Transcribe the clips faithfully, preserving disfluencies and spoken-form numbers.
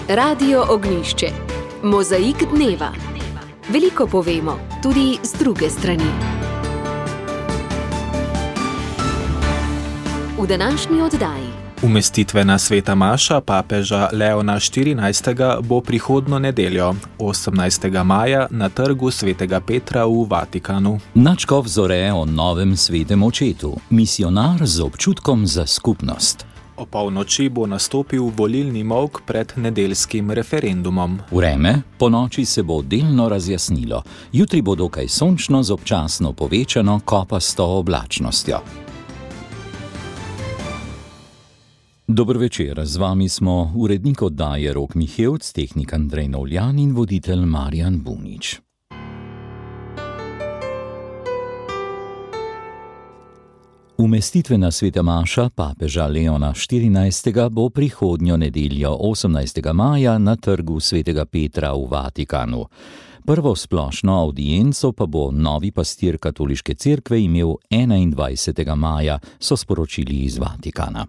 Radio Ognjišče. Mozaik dneva. Veliko povemo, tudi z druge strani. V današnji oddaji. Umestitvena sveta maša papeža Leona štirinajstega bo prihodnjo nedeljo, osemnajstega maja, na trgu svetega Petra v Vatikanu. Nadškof zore o novem svetem očetu, misionar z občutkom za skupnost. O polnoči bo nastopil volilni molk pred nedeljskim referendumom. Vreme, po noči se bo delno razjasnilo. Jutri bo dokaj sončno z občasno povečano kopasto oblačnostjo. Dober večer, z vami smo urednik oddaje Rok Mihevc, tehnik Andrej Novljan in voditelj Marjan Bunič. Umestitvena sveta maša papeža Leona štirinajstega bo prihodnjo nedeljo, osemnajstega maja, na trgu svetega Petra v Vatikanu. Prvo splošno avdienco pa bo novi pastir katoliške cerkve imel enaindvajsetega maja, so sporočili iz Vatikana.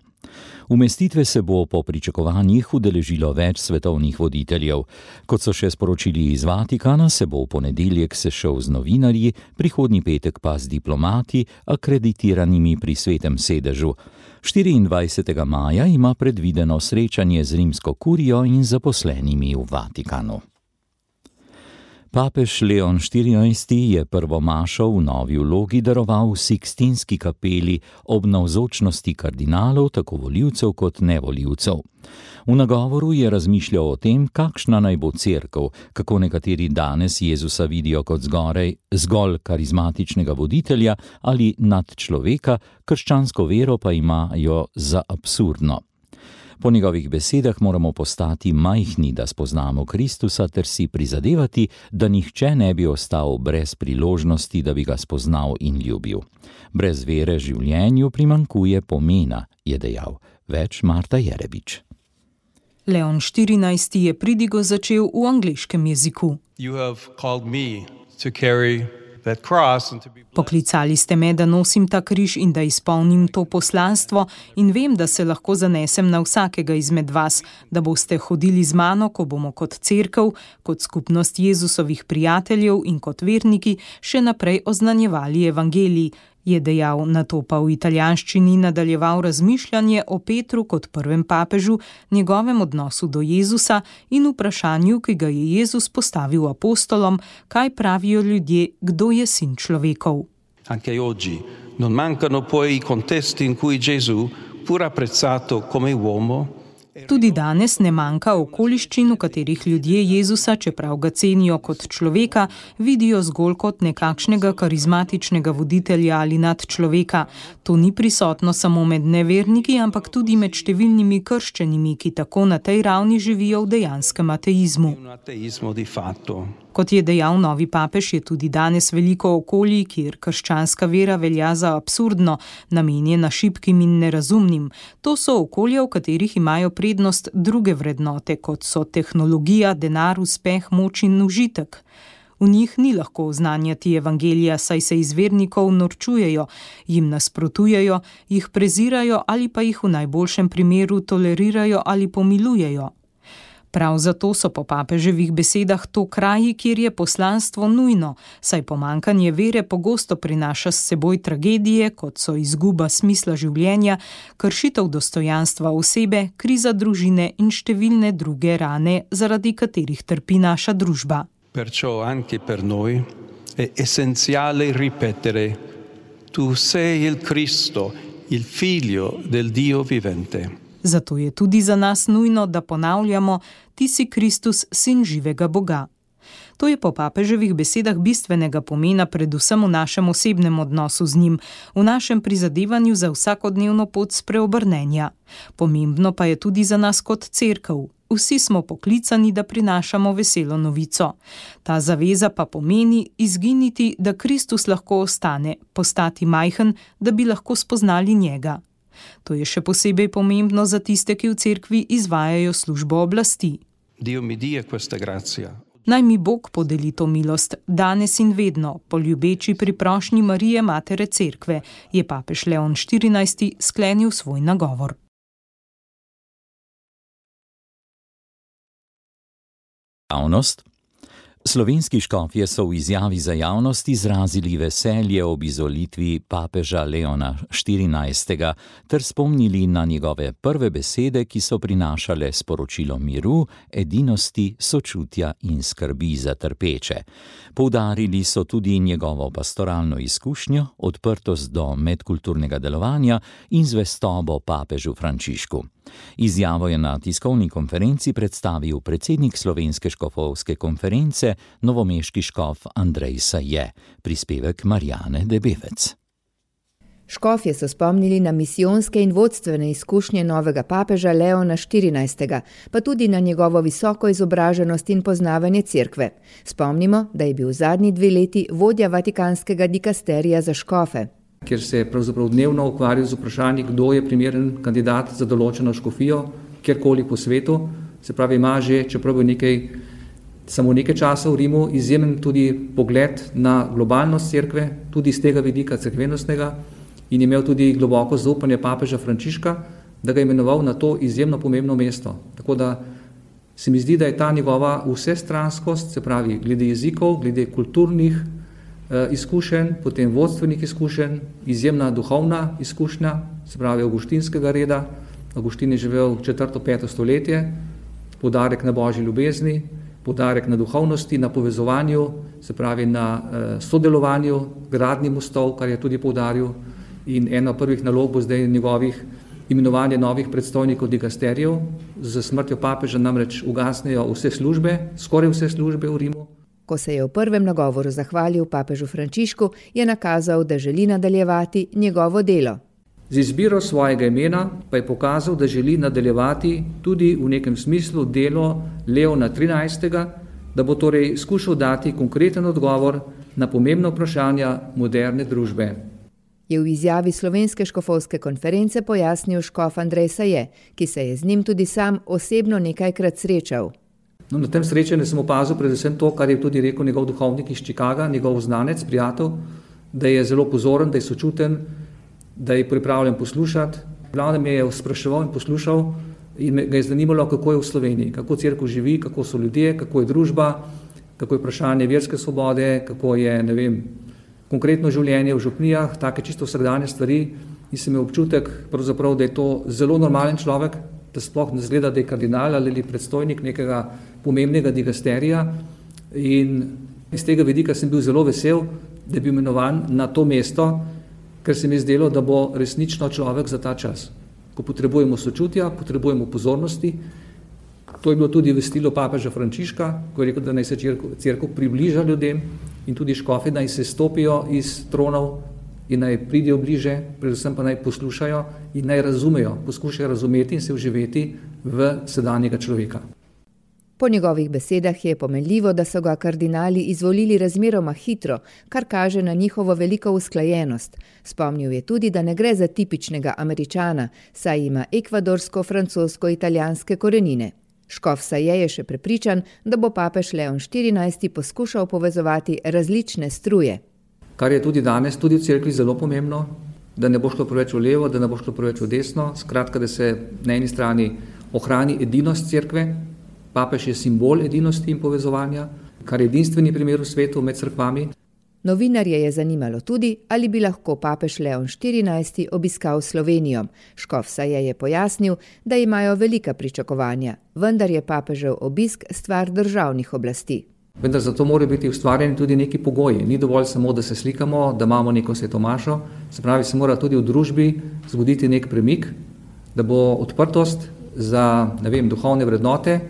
Umestitve se bo po pričakovanjih udeležilo več svetovnih voditeljev. Kot so še sporočili iz Vatikana, se bo v ponedeljek sešel z novinarji, prihodnji petek pa z diplomati, akreditiranimi pri svetem sedežu. štiriindvajsetega maja ima predvideno srečanje z rimsko kurijo in zaposlenimi v Vatikanu. Papež Leon štirinajsti je prvo mašo v novi vlogi daroval v Sikstinski kapeli ob navzočnosti kardinalov, tako volivcev kot nevolivcev. V nagovoru je razmišljal o tem, kakšna naj bo cerkev, kako nekateri danes Jezusa vidijo kot zgoraj, zgolj karizmatičnega voditelja ali nadčloveka, krščansko vero pa imajo za absurdno. Po njegovih besedah moramo postati majhni, da spoznamo Kristusa, ter si prizadevati, da nihče ne bi ostal brez priložnosti, da bi ga spoznal in ljubil. Brez vere življenju primanjkuje pomena, je dejal. Več Marta Jerebič. Leon štirinajsti je pridigo začel v angleškem jeziku. Poklicali ste me, da nosim ta križ in da izpolnim to poslanstvo, in vem, da se lahko zanesem na vsakega izmed vas, da boste hodili z mano, ko bomo kot cerkev, kot skupnost Jezusovih prijateljev in kot verniki še naprej oznanjevali evangelij, je dejal, nato pa v italijanščini nadaljeval razmišljanje o Petru kot prvem papežu, njegovem odnosu do Jezusa in vprašanju, ki ga je Jezus postavil apostolom, kaj pravijo ljudje, kdo je sin človekov. Anche oggi non mancano poi i contesti in cui Gesù, pur apprezzato come uomo, Tudi danes ne manjka okoliščin, v katerih ljudje Jezusa, čeprav ga cenijo kot človeka, vidijo zgolj kot nekakšnega karizmatičnega voditelja ali nadčloveka. To ni prisotno samo med neverniki, ampak tudi med številnimi krščenimi, ki tako na tej ravni živijo v dejanskem ateizmu. Kot je dejal novi papež, je tudi danes veliko okolij, kjer krščanska vera velja za absurdno, namenjena šibkim in nerazumnim. To so okolja, v katerih imajo prednost druge vrednote, kot so tehnologija, denar, uspeh, moč in užitek. V njih ni lahko oznanjati evangelija, saj se iz vernikov norčujejo, jim nasprotujejo, jih prezirajo ali pa jih v najboljšem primeru tolerirajo ali pomilujejo. Prav zato so po papeževih besedah to kraji, kjer je poslanstvo nujno, saj pomanjkanje vere pogosto prinaša s seboj tragedije, kot so izguba smisla življenja, kršitev dostojanstva osebe, kriza družine in številne druge rane, zaradi katerih trpi naša družba. Perciò anche per noi è essenziale ripetere: Tu sei il Cristo, il Figlio del Dio vivente. Zato je tudi za nas nujno, da ponavljamo: Ti si Kristus, sin živega Boga. To je po papeževih besedah bistvenega pomena predvsem v našem osebnem odnosu z njim, v našem prizadevanju za vsakodnevno pot spreobrnenja. Pomembno pa je tudi za nas kot cerkev. Vsi smo poklicani, da prinašamo veselo novico. Ta zaveza pa pomeni izginiti, da Kristus lahko ostane, postati majhen, da bi lahko spoznali njega. To je še posebej pomembno za tiste, ki v cerkvi izvajajo službo oblasti. Dio mi dia questa grazia. Naj mi Bog podeli to milost, danes in vedno, po ljubeči priprošnji Marije, matere cerkve, je papež Leon štirinajsti sklenil svoj nagovor. Javnost. Slovenski škofje so v izjavi za javnost izrazili veselje ob izvolitvi papeža Leona štirinajstega ter spomnili na njegove prve besede, ki so prinašale sporočilo miru, edinosti, sočutja in skrbi za trpeče. Poudarili so tudi njegovo pastoralno izkušnjo, odprtost do medkulturnega delovanja in zvestobo papežu Frančišku. Izjavo je na tiskovni konferenci predstavil predsednik Slovenske škofovske konference, novomeški škof Andrej Saje. Prispevek Marjane Debevec. Škofje so spomnili na misijonske in vodstvene izkušnje novega papeža Leona štirinajstega, pa tudi na njegovo visoko izobraženost in poznavanje cerkve. Spomnimo, da je bil zadnji dve leti vodja vatikanskega dikasterija za škofe. Kjer se je pravzaprav dnevno ukvarjal z vprašanji, kdo je primeren kandidat za določeno škofijo, kjerkoli po svetu. Se pravi, ima že, čeprav je nekaj, samo nekaj časa v Rimu, izjemen tudi pogled na globalnost cerkve, tudi z tega vidika cerkvenostnega, in imel tudi globoko zaupanje papeža Frančiška, da ga je imenoval na to izjemno pomembno mesto. Tako da se mi zdi, da je ta njegova vsestranskost, se pravi, glede jezikov, glede kulturnih izkušenj, potem vodstvenih izkušenj, izjemna duhovna izkušnja, se pravi avguštinskega reda. Avguštin je živel četrto, peto stoletje, poudarek na božji ljubezni, poudarek na duhovnosti, na povezovanju, se pravi na sodelovanju, gradnji mostov, kar je tudi poudaril. In ena prvih nalog bo zdaj njegovih imenovanje novih predstojnikov dikasterijev. Z smrtjo papeža namreč ugasnejo vse službe, skoraj vse službe v Rimu. Ko se je v prvem nagovoru zahvalil papežu Frančišku, je nakazal, da želi nadaljevati njegovo delo. Z izbiro svojega imena pa je pokazal, da želi nadaljevati tudi v nekem smislu delo Leona trinajstega, da bo torej skušal dati konkreten odgovor na pomembna vprašanja moderne družbe. Je v izjavi Slovenske škofovske konference pojasnil škof Andrej Saje, ki se je z njim tudi sam osebno nekajkrat srečal. No, na tem srečanju sem opazil predvsem to, kar je tudi rekel njegov duhovnik iz Chicaga, njegov znanec, prijatelj, da je zelo pozoren, da je sočuten, da je pripravljen poslušati. Glavno me je spraševal in poslušal in me ga je zanimalo, kako je v Sloveniji, kako cerkev živi, kako so ljudje, kako je družba, kako je vprašanje verske svobode, kako je, ne vem, konkretno življenje v župnijah, take čisto vsakdanje stvari. In sem imel občutek, pravzaprav, da je to zelo normalen človek, da sploh ne zgleda, da je kardinal ali predstojnik nekega pomembnega dikasterija. In iz tega vidika sem bil zelo vesel, da je bil imenovan na to mesto, ker se mi je zdelo, da bo resnično človek za ta čas. Ko potrebujemo sočutja, potrebujemo pozornosti. To je bilo tudi v stilu papeža Frančiška, ko je rekel, da naj se cerkev približa ljudem in tudi škofi naj se stopijo iz tronov in naj pridejo bliže, predvsem pa naj poslušajo in naj razumejo, poskušajo razumeti in se vživeti v sedanjega človeka. Po njegovih besedah je pomenljivo, da so ga kardinali izvolili razmeroma hitro, kar kaže na njihovo veliko usklajenost. Spomnil je tudi, da ne gre za tipičnega Američana, saj ima ekvadorsko-francosko-italijanske korenine. Škof Saje je še prepričan, da bo papež Leon štirinajsti poskušal povezovati različne struje. Kar je tudi danes, tudi v cerkvi zelo pomembno, da ne bo šlo preveč v levo, da ne bo šlo preveč v desno, skratka, da se na eni strani ohrani edinost cerkve. Papež je simbol edinosti in povezovanja, kar je edinstveni primer v svetu med cerkvami. Novinarje je zanimalo tudi, ali bi lahko papež Leon štirinajsti obiskal Slovenijo. Škof Saje je pojasnil, da imajo velika pričakovanja, vendar je papežev obisk stvar državnih oblasti. Vendar zato morajo biti ustvarjeni tudi neki pogoji. Ni dovolj samo, da se slikamo, da imamo neko svetomašo, se pravi, se mora tudi v družbi zgoditi nek premik, da bo odprtost za, ne vem, duhovne vrednote,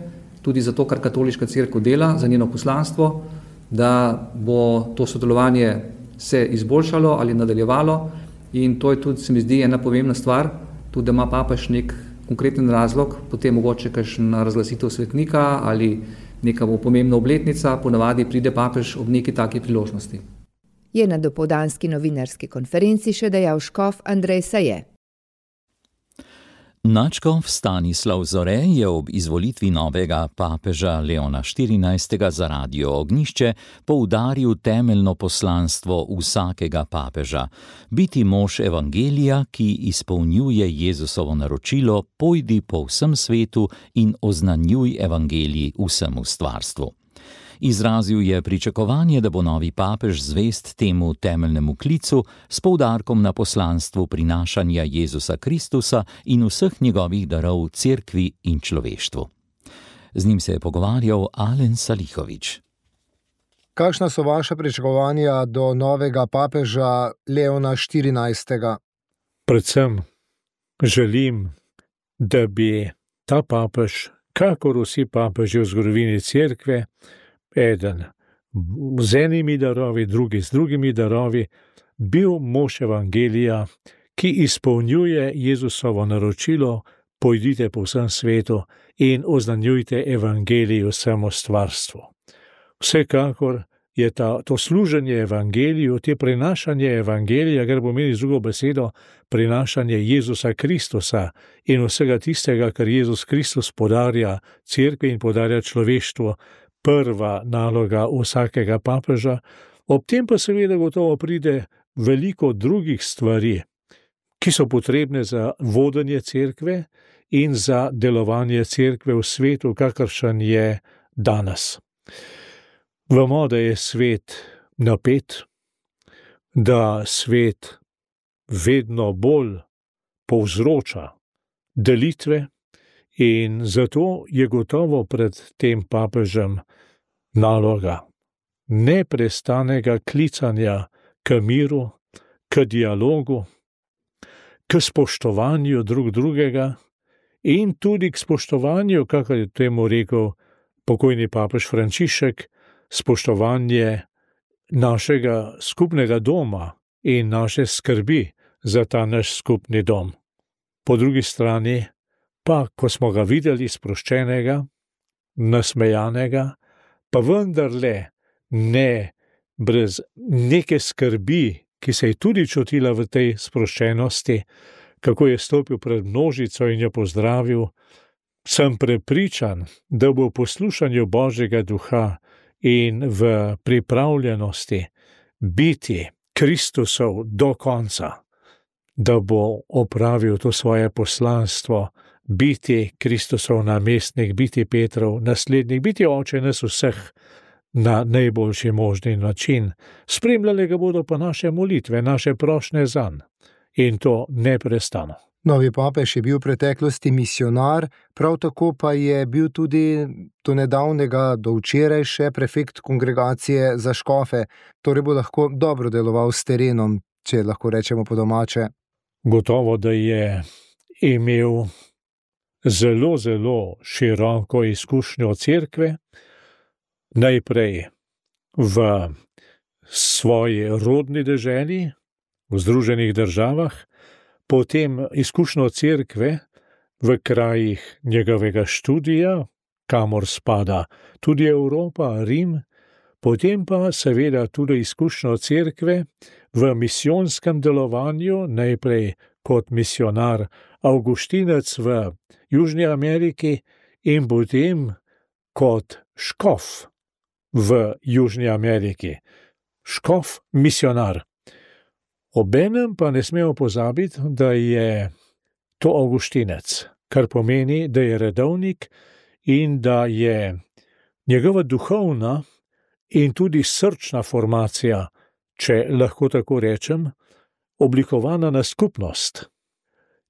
tudi za to, kar katoliška cerkev dela, za njeno poslanstvo, da bo to sodelovanje se izboljšalo ali nadaljevalo in to je tudi, se mi zdi, ena pomembna stvar, tudi da ima papež nek konkreten razlog, potem mogoče kakšna razglasitev svetnika ali neka bo pomembna obletnica, ponavadi pride papež ob neki taki priložnosti. Je na dopoldanski novinarski konferenci še dejal škof Andrej Saje. Nadškof Stanislav Zore je ob izvolitvi novega papeža Leona štirinajstega za Radio Ognjišče poudaril temeljno poslanstvo vsakega papeža: biti mož evangelija, ki izpolnjuje Jezusovo naročilo: pojdi po vsem svetu in oznanjuj evangelij vsemu stvarstvu. Izrazil je pričakovanje, da bo novi papež zvest temu temeljnemu klicu s poudarkom na poslanstvu prinašanja Jezusa Kristusa in vseh njegovih darov cerkvi in človeštvu. Z njim se je pogovarjal Alen Salihović. Kakšna so vaša pričakovanja do novega papeža Leona štirinajstega? Predvsem želim, da bi ta papež, kakor vsi papeži v zgodovini cerkve, eden z enimi darovi, drugi z drugimi darovi, bil mož evangelija, ki izpolnjuje Jezusovo naročilo: pojdite po vsem svetu in oznanjujte evangelij vsemu stvarstvu. Vsekakor je ta, to služenje evangeliju, te prinašanje evangelija, kar pomeni z drugo besedo prinašanje Jezusa Kristusa in vsega tistega, kar Jezus Kristus podarja cerkvi in podarja človeštvu, prva naloga vsakega papeža. Ob tem pa seveda gotovo pride veliko drugih stvari, ki so potrebne za vodenje cerkve in za delovanje cerkve v svetu, kakršen je danes. Vemo, da je svet napet, da svet vedno bolj povzroča delitve, in zato je gotovo pred tem papežem naloga neprestanega klicanja k miru, k dialogu, k spoštovanju drug drugega in tudi k spoštovanju, kakor je temu rekel pokojni papež Frančišek, spoštovanje našega skupnega doma in naše skrbi za ta naš skupni dom. Po drugi strani pa, ko smo ga videli sproščenega, nasmejanega, pa vendarle ne brez neke skrbi, ki se je tudi čutila v tej sproščenosti, kako je stopil pred množico in jo pozdravil, sem prepričan, da bo v poslušanju Božjega duha in v pripravljenosti biti Kristusov do konca, da bo opravil to svoje poslanstvo, biti Kristusov namestnik, biti Petrov naslednik, biti oče nas vseh na najboljši možni način. Spremljale ga bodo pa naše molitve, naše prošnje zanj, in to neprestano. Novi papež je bil v preteklosti misionar, prav tako pa je bil tudi do nedavnega, do včeraj še prefekt kongregacije za škofe, torej bo lahko dobro deloval s terenom, če lahko rečemo po domače. Gotovo, da je imel zelo, zelo široko izkušnjo cerkve, najprej v svoji rodni deželi, v Združenih državah, potem izkušnjo cerkve v krajih njegovega študija, kamor spada tudi Evropa, Rim, potem pa seveda tudi izkušnjo cerkve v misijonskem delovanju, najprej kot misionar Avguštinec v Južni Ameriki in potem kot škof v Južni Ameriki. Škof misionar. Obenem pa ne smemo pozabiti, da je to Avguštinec, kar pomeni, da je redovnik in da je njegova duhovna in tudi srčna formacija, če lahko tako rečem, oblikovana na skupnost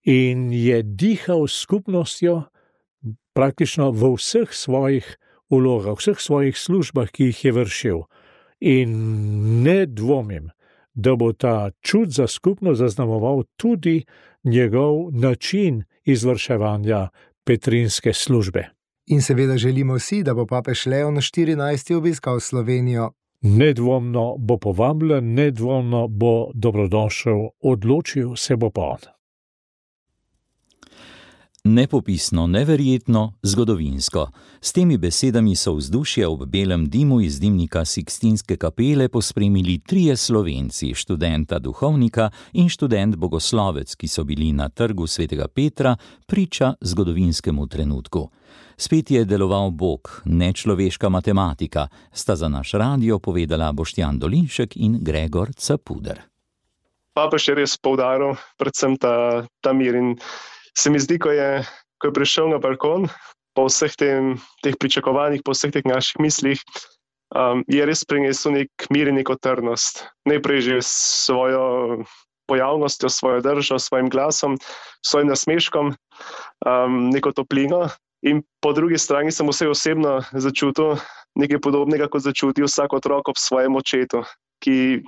in je dihal s skupnostjo praktično v vseh svojih vlogah, vseh svojih službah, ki jih je vršil. In ne dvomim, da bo ta čut za skupnost zaznamoval tudi njegov način izvrševanja petrinske službe. In seveda želimo si, da bo papež Leon štirinajsti obiskal Slovenijo. Nedvomno bo povabljen, nedvomno bo dobrodošel, odločil se bo pa on. Nepopisno, neverjetno, zgodovinsko. S temi besedami so vzdušje ob belem dimu iz dimnika Sikstinske kapele pospremili trije Slovenci, študenta duhovnika in študent bogoslovec, ki so bili na trgu svetega Petra priča zgodovinskemu trenutku. Spet je deloval Bog, ne človeška matematika, sta za naš radio povedala Boštjan Dolinšek in Gregor Capuder. Papež je res poudaril predvsem ta, ta mir in se mi zdi, ko je, ko je prišel na balkon, po vseh tem, teh pričakovanjih, po vseh teh naših mislih, um, je res prinesel nek mir in neko trdnost. Najprej že s svojo pojavnostjo, svojo držo, svojim glasom, svojim nasmeškom, um, neko toplino. In po drugi strani sem vse osebno začutil nekaj podobnega, kot začuti vsak otrok ob svojem očetu, ki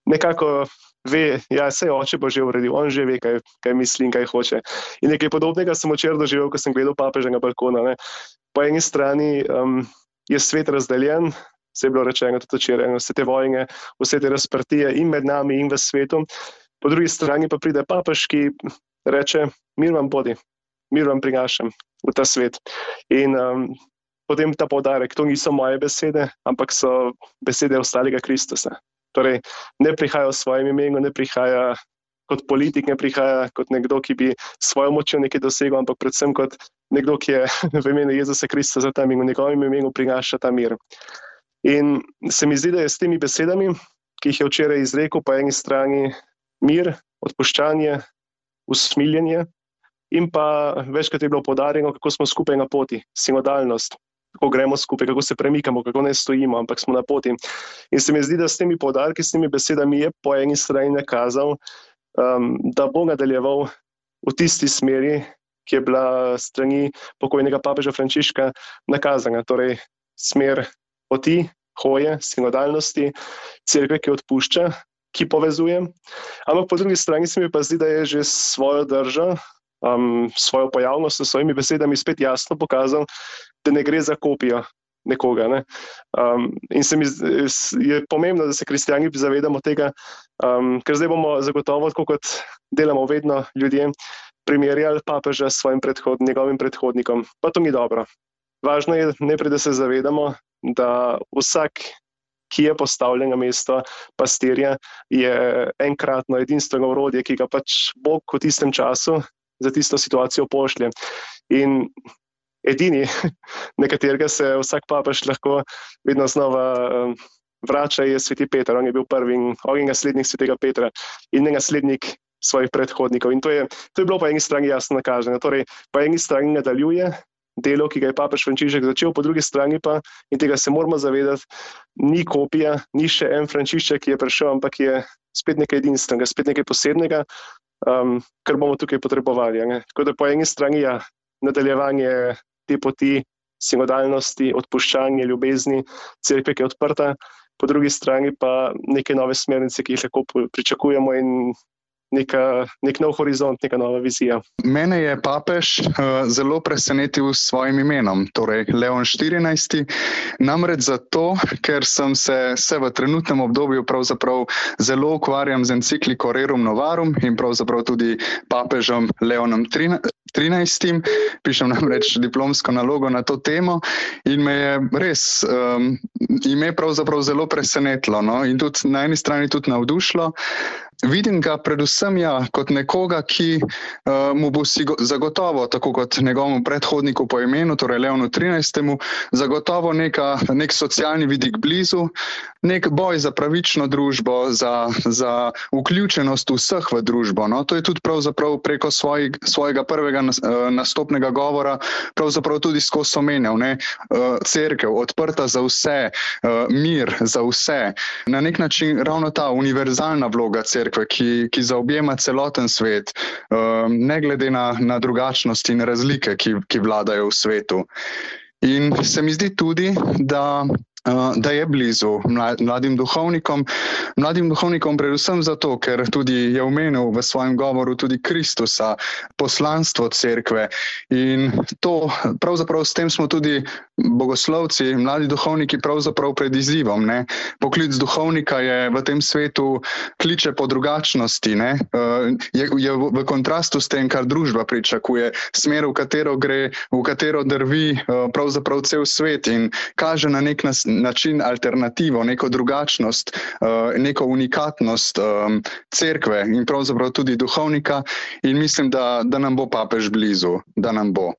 nekako ve, ja, saj oče bo že uredil, on že ve, kaj, kaj misli in kaj hoče. In nekaj podobnega sem včeraj doživel, ko sem gledal papeža na balkona. Ne. Po eni strani um, je svet razdeljen, se je bilo rečeno tudi včeraj, vse te vojne, vse te razprtije in med nami in v svetu. Po drugi strani pa pride papež, ki reče, mir vam bodi, mir vam prinašam v ta svet. In um, potem ta poudarek, to niso moje besede, ampak so besede ostalega Kristusa. Torej, ne prihaja v svojem imenu, ne prihaja kot politik, ne prihaja kot nekdo, ki bi svojo močjo nekaj dosegel, ampak predvsem kot nekdo, ki je v imenu Jezusa Kristusa tam in v njegovem imenu prinaša ta mir. In se mi zdi, da je s temi besedami, ki jih je včeraj izrekel, po eni strani mir, odpuščanje, usmiljenje in pa večkrat je bilo poudarjeno, kako smo skupaj na poti, sinodalnost. Kako gremo skupaj, kako se premikamo, kako ne stojimo, ampak smo na poti. In se mi zdi, da s temi poudarki, s temi besedami je po eni strani nakazal, um, da bo nadaljeval v tisti smeri, ki je bila strani pokojnega papeža Frančiška nakazana. Torej, smer poti, hoje, sinodalnosti, cerkve, ki odpušča, ki povezuje. Ampak po drugi strani se mi pa zdi, da je že svojo držo, um, svojo pojavnost, s svojimi besedami spet jasno pokazal, da ne gre za kopijo nekoga. Ne? Um, in se mi je pomembno, da se kristjani zavedamo tega, um, ker zdaj bomo zagotovo, tako kot delamo vedno ljudje, primerjali papeža s svojim predhod, njegovim predhodnikom. Pa to ni dobro. Važno je najprej, da se zavedamo, da vsak, ki je postavljen na mesto pastirja, je enkratno edinstveno orodje, ki ga pač Bog v tistem času za tisto situacijo pošlje. In edini, na katerega se vsak papež lahko vedno znova um, vrača, je sveti Peter. On je bil prvi in on je naslednik svetega Petra in ne naslednik svojih predhodnikov. In to je, to je bilo po eni strani jasno nakaženo. Torej, po eni strani nadaljuje delo, ki ga je papež Frančišek začel, po drugi strani pa, in tega se moramo zavedati, ni kopija, ni še en Frančišek, ki je prišel, ampak je spet nekaj edinstvenega, spet nekaj posebnega, um, kar bomo tukaj potrebovali. Ne? Tako da po eni strani ja, nadaljevanje te poti, sinodalnosti, odpuščanje, ljubezni, cerkve, ki je odprta, po drugi strani pa neke nove smernice, ki jih lahko pričakujemo in Neka, nek nov horizont, neka nova vizija. Mene je papež uh, zelo presenetil s svojim imenom, torej Leon štirinajsti, namreč zato, ker sem se, se v trenutnem obdobju pravzaprav zelo ukvarjam z encikliko Rerum Novarum in pravzaprav tudi papežem Leonom trinajstim. Pišem namreč diplomsko nalogo na to temo in me je res um, ime pravzaprav zelo presenetilo, no? In tudi na eni strani tudi navdušilo. Vidim ga predvsem ja, kot nekoga, ki uh, mu bo si zagotovo, tako kot njegovemu predhodniku po imenu, torej Leonu trinajstemu, zagotovo neka, nek socialni vidik blizu, nek boj za pravično družbo, za, za vključenost vseh v družbo. No? To je tudi pravzaprav preko svoj, svojega prvega uh, nastopnega govora pravzaprav tudi skozi omenjal. Uh, cerkev, odprta za vse, uh, mir za vse. Na nek način ravno ta univerzalna vloga cerkve, Ki, ki zaobjema celoten svet, ne glede na, na drugačnosti in razlike, ki, ki vladajo v svetu. In se mi zdi tudi, da, da je blizu mladim duhovnikom, mladim duhovnikom predvsem zato, ker tudi je omenil v svojem govoru tudi Kristusa, poslanstvo cerkve. In to, pravzaprav s tem smo tudi bogoslovci, mladi duhovniki pravzaprav pred izzivom. Ne? Poklic duhovnika je v tem svetu kliče po drugačnosti, ne? Je, je v kontrastu s tem, kar družba pričakuje, smer, v katero gre, v katero drvi pravzaprav cel svet in kaže na nek način alternativo, neko drugačnost, neko unikatnost cerkve in pravzaprav tudi duhovnika in mislim, da, da nam bo papež blizu, da nam bo.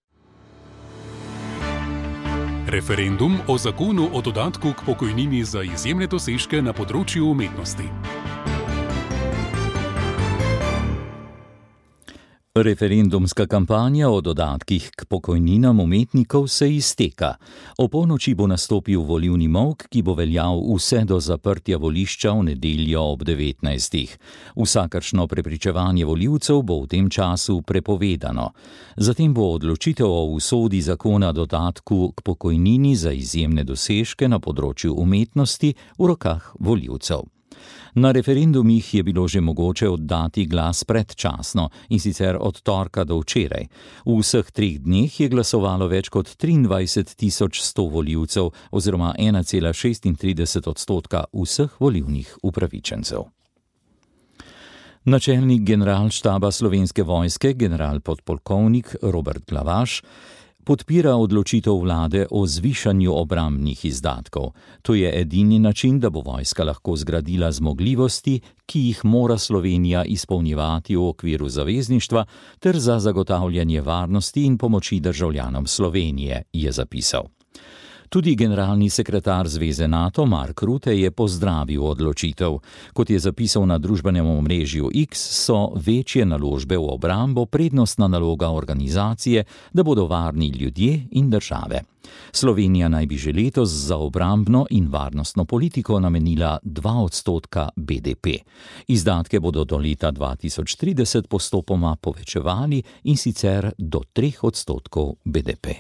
Referendum o zakonu o dodatku k pokojnini za izjemne dosežke na področju umetnosti. Referendumska kampanja o dodatkih k pokojninam umetnikov se izteka. O polnoči bo nastopil volilni molk, ki bo veljal vse do zaprtja volišča v nedeljo ob devetnajstih. Vsakršno prepričevanje volivcev bo v tem času prepovedano. Zatem bo odločitev o usodi zakona dodatku k pokojnini za izjemne dosežke na področju umetnosti v rokah volivcev. Na referendumih je bilo že mogoče oddati glas predčasno, in sicer od torka do včeraj. V vseh treh dneh je glasovalo več kot triindvajset tisoč sto volivcev oziroma ena cela šestintrideset odstotka vseh volilnih upravičencev. Načelnik generalštaba Slovenske vojske, general podpolkovnik Robert Glavaš, podpira odločitev vlade o zvišanju obrambnih izdatkov. To je edini način, da bo vojska lahko zgradila zmogljivosti, ki jih mora Slovenija izpolnjevati v okviru zavezništva ter za zagotavljanje varnosti in pomoči državljanom Slovenije, je zapisal. Tudi generalni sekretar Zveze NATO Mark Rutte je pozdravil odločitev. Kot je zapisal na družbenem omrežju X, so večje naložbe v obrambo prednostna naloga organizacije, da bodo varni ljudje in države. Slovenija naj bi že letos za obrambno in varnostno politiko namenila dva odstotka B D P. Izdatke bodo do leta dva tisoč trideset postopoma povečevali in sicer do treh odstotkov B D P.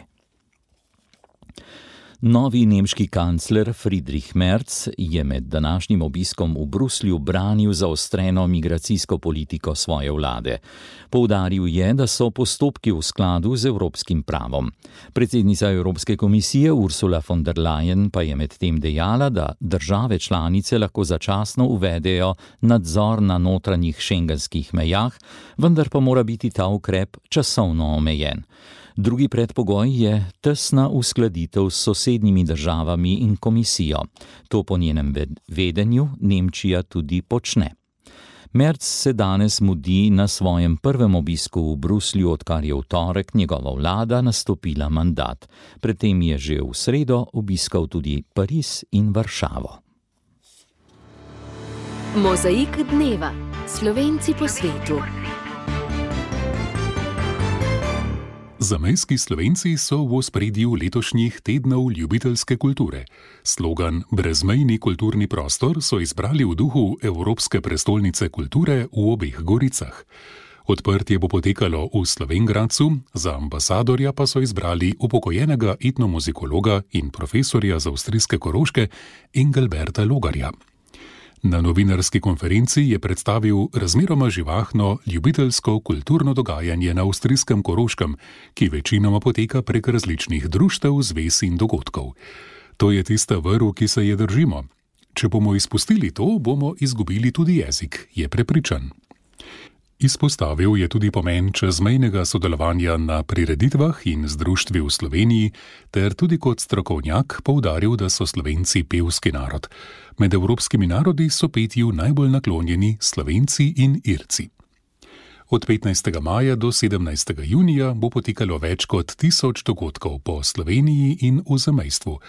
Novi nemški kancler Friedrich Merz je med današnjim obiskom v Bruslju branil zaostreno migracijsko politiko svoje vlade. Poudaril je, da so postopki v skladu z evropskim pravom. Predsednica Evropske komisije Ursula von der Leyen pa je medtem dejala, da države članice lahko začasno uvedejo nadzor na notranjih šengenskih mejah, vendar pa mora biti ta ukrep časovno omejen. Drugi predpogoj je tesna uskladitev s sosednjimi državami in komisijo. To po njenem vedenju Nemčija tudi počne. Merz se danes mudi na svojem prvem obisku v Bruslju, odkar je v torek njegova vlada nastopila mandat. Predtem je že v sredo obiskal tudi Pariz in Varšavo. Mozaik dneva. Slovenci po svetu. Zamejski Slovenci so v ospredju letošnjih tednov ljubiteljske kulture. Slogan Brezmejni kulturni prostor so izbrali v duhu Evropske prestolnice kulture v obeh Goricah. Odprtje bo potekalo v Slovenj Gradcu, za ambasadorja pa so izbrali upokojenega etnomuzikologa in profesorja z avstrijske Koroške Engelberta Logarja. Na novinarski konferenci je predstavil razmeroma živahno ljubiteljsko kulturno dogajanje na avstrijskem Koroškem, ki večinoma poteka prek različnih društev, zvez in dogodkov. To je tista vrv, ki se je držimo. Če bomo izpustili to, bomo izgubili tudi jezik, je prepričan. Izpostavil je tudi pomen čezmejnega sodelovanja na prireditvah in z društvi v Sloveniji, ter tudi kot strokovnjak poudaril, da so Slovenci pevski narod. Med evropskimi narodi so petju najbolj naklonjeni Slovenci in Irci. Od petnajstega maja do sedemnajstega junija bo potekalo več kot tisoč dogodkov po Sloveniji in v zamejstvu.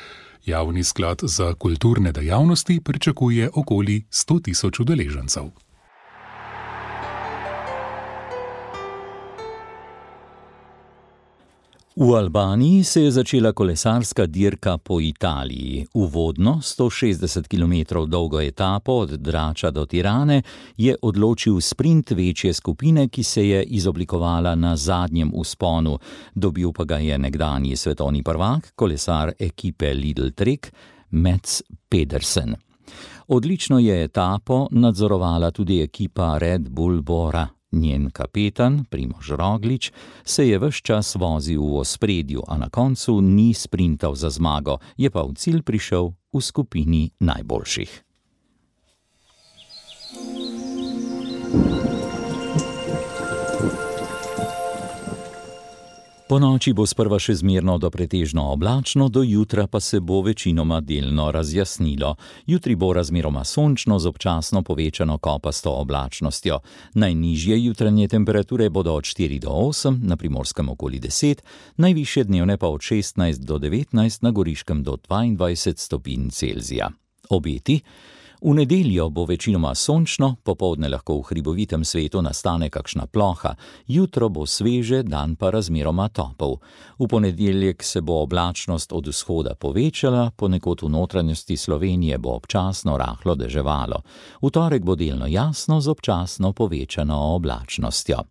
Javni sklad za kulturne dejavnosti pričakuje okoli sto tisoč udeležencev. V Albaniji se je začela kolesarska dirka po Italiji. Uvodno sto šestdeset kilometrov dolgo etapo od Drača do Tirane je odločil sprint večje skupine, ki se je izoblikovala na zadnjem vzponu. Dobil pa ga je nekdanji svetovni prvak, kolesar ekipe Lidl Trek, Mats Pedersen. Odlično je etapo nadzorovala tudi ekipa Red Bull Bora. Njen kapetan, Primož Roglič, se je ves čas vozil v ospredju, a na koncu ni sprintal za zmago, je pa v cilj prišel v skupini najboljših. Po noči bo sprva še zmerno do pretežno oblačno, do jutra pa se bo večinoma delno razjasnilo. Jutri bo razmeroma sončno z občasno povečano kopasto oblačnostjo. Najnižje jutranje temperature bodo od štiri do osem, na Primorskem okoli deset, najvišje dnevne pa od šestnajst do devetnajst, na Goriškem do dvaindvajset stopinj Celzija. Obeti? V nedeljo bo večinoma sončno, popoldne lahko v hribovitem svetu nastane kakšna ploha, jutro bo sveže, dan pa razmeroma topel. V ponedeljek se bo oblačnost od vzhoda povečala, ponekod v notranjosti Slovenije bo občasno rahlo deževalo. V torek bo delno jasno z občasno povečano oblačnostjo.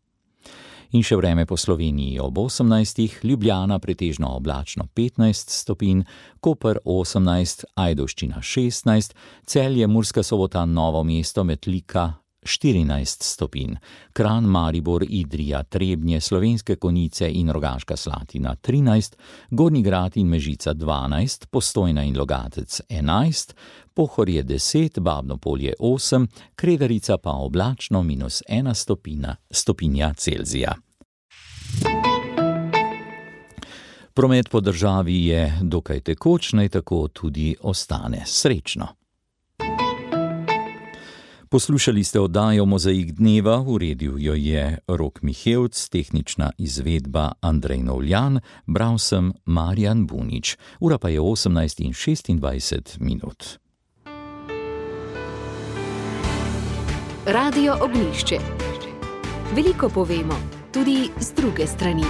In še vreme po Sloveniji ob osemnajstih, Ljubljana pretežno oblačno petnajst stopinj, Koper osemnajst, Ajdovščina šestnajst, Celje, Murska Sobota, Novo mesto, Metlika štirinajst stopinj, Kranj, Maribor, Idrija, Trebnje, Slovenske Konjice in Rogaška Slatina trinajst, Gornji Grad in Mežica dvanajst, Postojna in Logatec enajst, Pohorje deset, Babno Polje osem, Kredarica pa oblačno minus ena stopina, stopinja Celzija. Promet po državi je dokaj tekoč, naj tako tudi ostane. Srečno! Poslušali ste oddajo Mozaik dneva, uredil jo je Rok Mihevc, tehnična izvedba Andrej Novljan, bral sem Marjan Bunič. Ura pa je osemnajst in šestindvajset minut. Radio Ognjišče. Veliko povemo, tudi z druge strani.